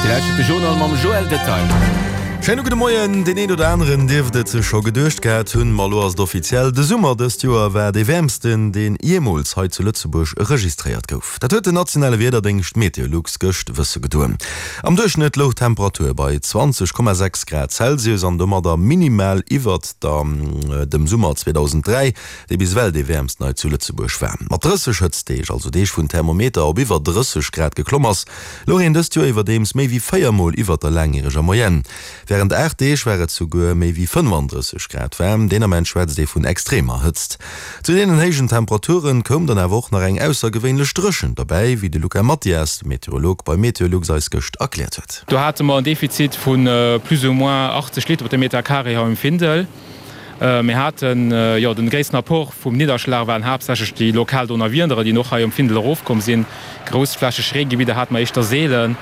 Dir lauschtert de Journal mam Joël Detail. Schéine gudde Moien. Deen een oder aneren dierft et sech scho geduecht gehat hunn, ma elo ass et offiziell, De Summer dëst Joer war dee wäermsten, deen jeemools hei zu Lëtzebuerg registréiert gouf. Dat huet den nationale Wiederdéngscht Meteolux gëscht wësse gedoen. Am Duerchschnëtt louch d'Temperatur bei 20,6 Grad Celsius an domadder minimal iwwert der dem Summer 2003. dee bis ewell dee wäermsten hei zu Lëtzebuerg war. Mat 30 Hëtztdeeg, also Deeg wou den Thermometer op iwwer 30 Grad geklomm ass, louch een dëst Joer iwwerdeems méi wéi 4 Mol iwwer der laangjäreger Moyenne. Wärend 8 Deeg war et souguer méi wéi 35 Grad waarm. Deen Ament schwätzt ee vun extremer Hëtzt. Zu deenen héijen Temperaturen koum dann awer och nach eng aussergewéinlech Dréchent derbäi, wéi de Luca Mathias, Meteorolog bei Meteolux, eis gëscht erkläert huet. Do hate mer en Defizit vu plus ou moins 80 Liter op de Meter carré hei um Findel. Mir haten, jo, den gréissten Apport vum Nidderschlag waren haaptsächlech déi lokal Donnerwiedere, déi och hei um Findel erofkomm sinn. Groussflächeg Reegebidder hate mer éischter seelen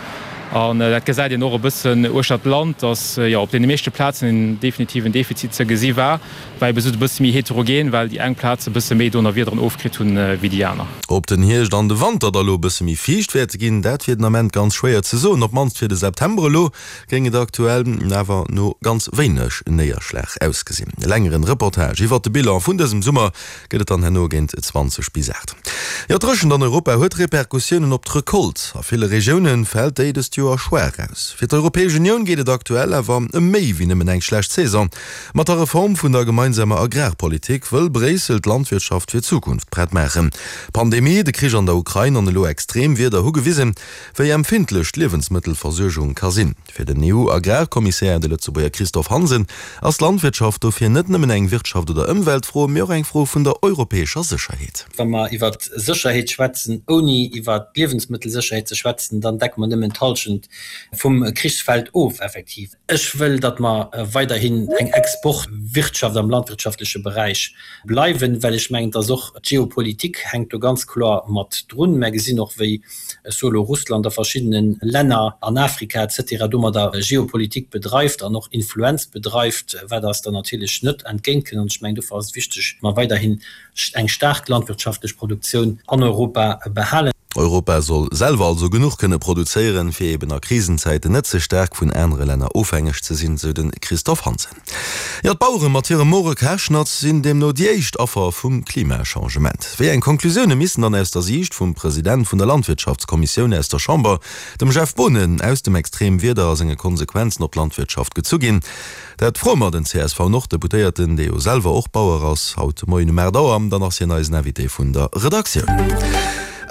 an dat gesäit een och e bëssen uechter d'Land, dass, jo, op deene meeschte Plazen en definitiven Defizit ze gesi war. War ebe sou e bësse méi heterogen, well déi eng Plaze bësse méi Donnerwiederen ofkritt hunn wéi déi aner. Ob den Hierscht an de Wanter da lo e bësse méi fiicht wäerte ginn, dat wier den Ament ganz schwéier ze soen, op d'mannst fir de September elo. Géing et aktuell awer no ganz wéineg Néierschlag ausgesinn. E längeren Reportage iwwert de Bilan vun dësem Summer gëtt et dann herno géint 20 bis 8. Jo, d'Dréchent an Europa huet Repercussiounen op d'Recolte. A ville Regioune fält déi dëst Joer schwaach aus. Fir d'Europäesch Unioun geet et aktuell awer ëm méi wéi nëmmen eng schlecht Saison. Mat der Reform vun der gemeinsamer Agrarpolitik wëll Bréissel d'Landwirtschaft fir d'Zukunft prett maachen. D'Pandemie, de Krich an der Ukrain an elo extrem Wieder hu gewisen, Wéi empfindlech d'Liewensmëttelversuergung ka sinn. Fir den EU-Agrarkommissär, de Lëtzebuerger Christophe Hansen, ass d'Landwirtschaft dofir net nëmmen eng Wirtschaft oder Ëmweltfro, mee och eng Fro vun der europäescher Sécherheet. Wa mer iwwer Sécherheet schwätzen, ouni iwwer d'Liewensmëttelsécherheet ze schwätzen, dann decke mer nëmmen d'Hallschent vum Krichsfeld of, effektiv. Ech wëll, datt mer weiderhin eng Exportwirtschaft am landwirtschaftleche Beräich bleiwen, well ech mengen, dass och d'Geopolitik hänkt do ganz kloer mat drun. Mer gesinn och, wéi, ech soe lo Russland a verschiddene Länner an Afrika et cetera domadder Geopolitik bedreift an och Influenz bedreift, wat eis dann natierlech net entgéintkënnt. An ech mengen, dofir ass et wichteg, mer weiderhin eng staark landwirtschaftlech Produktioun an Europa behalen. Europa soll selwer also genuch kënne produzéieren, fir eben a Krisenzäiten net ze staark vun anere Länner ofhängeg ze sinn, sou de Christophe Hansen. Jo, d'Bauere mat hirem more Karschnatz sinn deemno déi éischt Affer vum Klimachangement. Wéi eng Konklusioune missen dann aus der Siicht vum President vun der Landwirtschaftskommissioun aus der Chamber, dem Jeff Boonen, aus dem Extremwieder a senge Konsequenzen op d'Landwirtschaft gezu ginn? Dat froe mer den CSV-Nord-Deputéierten, dee jo selwer och Bauer ass, haut de Moien um 8 Auer. Dann ass hien eisen Invité vun der Redaktioun.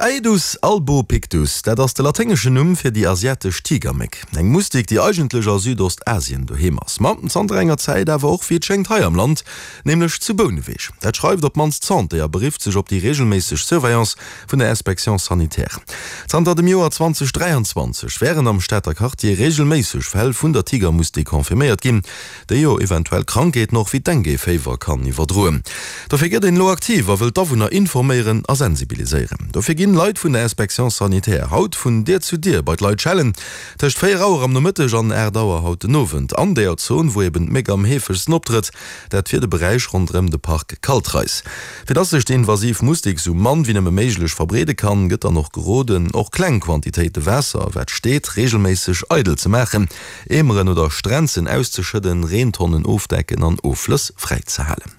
Aedus albopictus, dat ass de laténgeschen Numm fir déi asiatesch Tigerméck. Eng Mustik, déi eigentlech a Südostasien doheem ass, ma zanter enger Zäit awer och, wéi et schéngt, hei am Land, nämlech zu Bouneweg. Dat schreift op d'mannst d'Santé a berifft sech op déi reegelméisseg Surveillance vun der Inspection sanitaire. Zanter dem Joer 2023 wären am Stater Quartier reegelméisseg Fäll vun der Tigermustik confirméiert ginn, déi jo eventuell Krankheeten och wéi Dengue-Féiwer kann iwwerdroen. Dofir gëtt een elo aktiv a wëll d'Awunner informéieren a sensibiliséieren. Dofir ginn Leit vun der Inspection sanitaire haut vun Dier zu Dier bei d'Leit schellen, tëscht 4 Auer am Nomëtteg an 8 Auer haut den Owend, an deeër Zon, wou eben d'Méck am heefegsten optrëtt. Dat fir de Beräich ronderëm de Park Kaltreis. Fir dass sech déi invasiv Mustik sou mann wéi nëmme méiglech verbreede kann, gëtt dann och geroden, och kleng Quantitéite Waasser, wat steet, reegelméisseg eidel ze maachen, Eemeren oder Strenzen auszeschëdden, Reentonnen ofdecken an Offlëss fräi ze halen.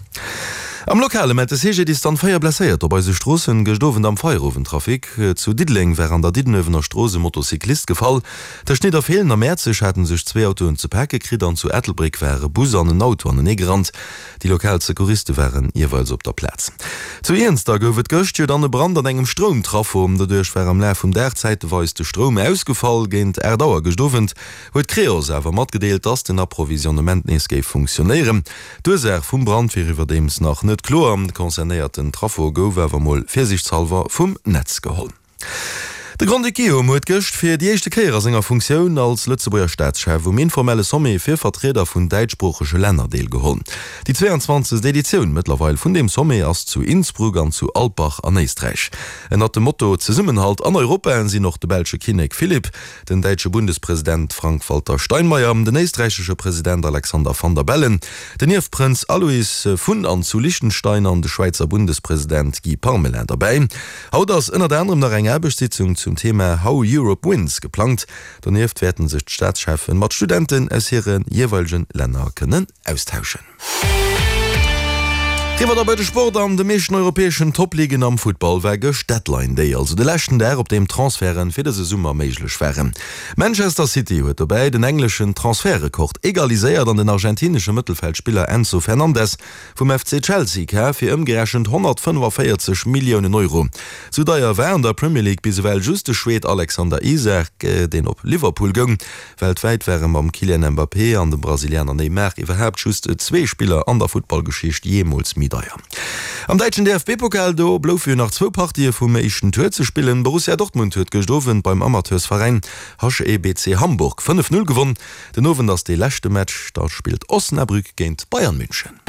Am Lokale mellt de CGDIS dann 4 Blesséierter op eise Stroossen gëscht Owend am Feierowendtrafic. Zu Diddeleng war an der Diddenuewener Strooss e Motocyclist gefall. Tëscht Nidderfeelen a Mäerzeg haten sech zwee Autoen ze pake kritt an zu Ettelbréck war e Bus an en Auto anenee gerannt. Déi lokal Secouriste waren jeeweils op der Plaz. Zu Iernster gouf et gëscht jo dann e Brand an engem Stroumtraffo. Doduerch war am Laf vum Dag zäiteweis de Stroum ausgefall. Géint 8 Auer gëscht Owend huet Creos awer matgedeelt, dass den Approvisionnement nees géif funktionéieren. D'Ursaach vum Brand wier iwwerdeems nach net kloer. De concernéierten Traffo gouf awer mol virsiichtshallwer vum Netz geholl. De Grand-Duc Guillaume huet gëscht fir déi éischte Kéier a senger Funktioun als Lëtzebuerger Staatschef um informelle Sommet fir Vertrieder vun däitschsproochege Länner deelgeholl. Déi 22. Editioun mëttlerweil vun deem Sommet ass zu Innsbruck an zu Alpbach an Éisträich. Ënnert dem Motto Zesummenhalt an Europa sinn och de belsche Kinnek Philippe, den däitsche Bundespresident Frank-Walter Steinmeier, den éisträichesche President Alexander Van der Bellen, den Ierfprënz Alois vun an zu Liechtenstein an de Schwäizer Bundespresident Guy Parmelin derbäi. Haut ass ënnert anerem nach eng Aarbechtssitzung zu. zum Thema How Europe Wins geplangt. Donieft wäerten sech d'Staatscheffen mat Studenten aus hire jeeweilegen Länner kënnen austauschen. Riwwer da bei de Sport. An de meeschten europäeschen Top-Ligen am Futtball war gëscht Deadline Day, also de leschten Dag, op deem Transferte fir dëse Summer méiglech waren. Manchester City huet dobäi den engleschen Transfertrekord egaliséiert an den argentinesche Mëttelfeldspiller Enzo Fernandez vum FC Chelsea kaf fir ëmgerechent 145 Milliounen Euro. Sou deier war an der Premier League bis ewell just de Schwed Alexander Isak, deen op Liverpool goung. Weltwäit ware mam Kylian Mbappé an dem Brasilianer Neymar iwwerhaapt just zwee Spiller an der Futtballgeschicht jeemools méi deier. Am däitschen DFB-Pokal do bloufe jo nach zwou Partië vum éischten Tour ze spillen. Borussia Dortmund huet gëscht Owend beim Amateursveräin HEBC Hamburg 5, 0 gewonn. Den Owend ass dee leschte Match, da spillt Osnabrück géint Bayern München.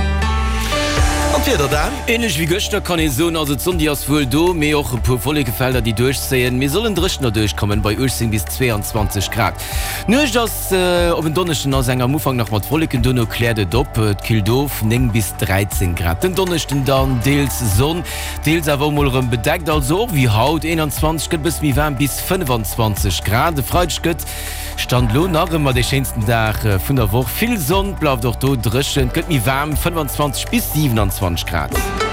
An d'Wieder dann? Ähnlech wéi gëschter kann ee soen, also d'Sonn déi ass wuel do, mee och e puer Wollekefelder déi duerchzéien. Mir sollen dréchener duerchkommen bei 18 bis 22 Grad. D'Nuecht ass op en Donneschden ass eng am Ufank nach mat Wolleken, duerno kläert et op, et killt of, 9 bis 13 Grad. Den Donneschden dann deels Sonn, deels awer och mol erëm bedeckt, also och wéi haut 21, gëtt e bësse méi waarm bis 25 Grad. E Freideg gëtt Stand lo nach ëmmer dee schéinsten Dag vun der Woch. Vill Sonn, bleift och do dréchen, et gëtt méi waarm, 25 bis 27 Grad.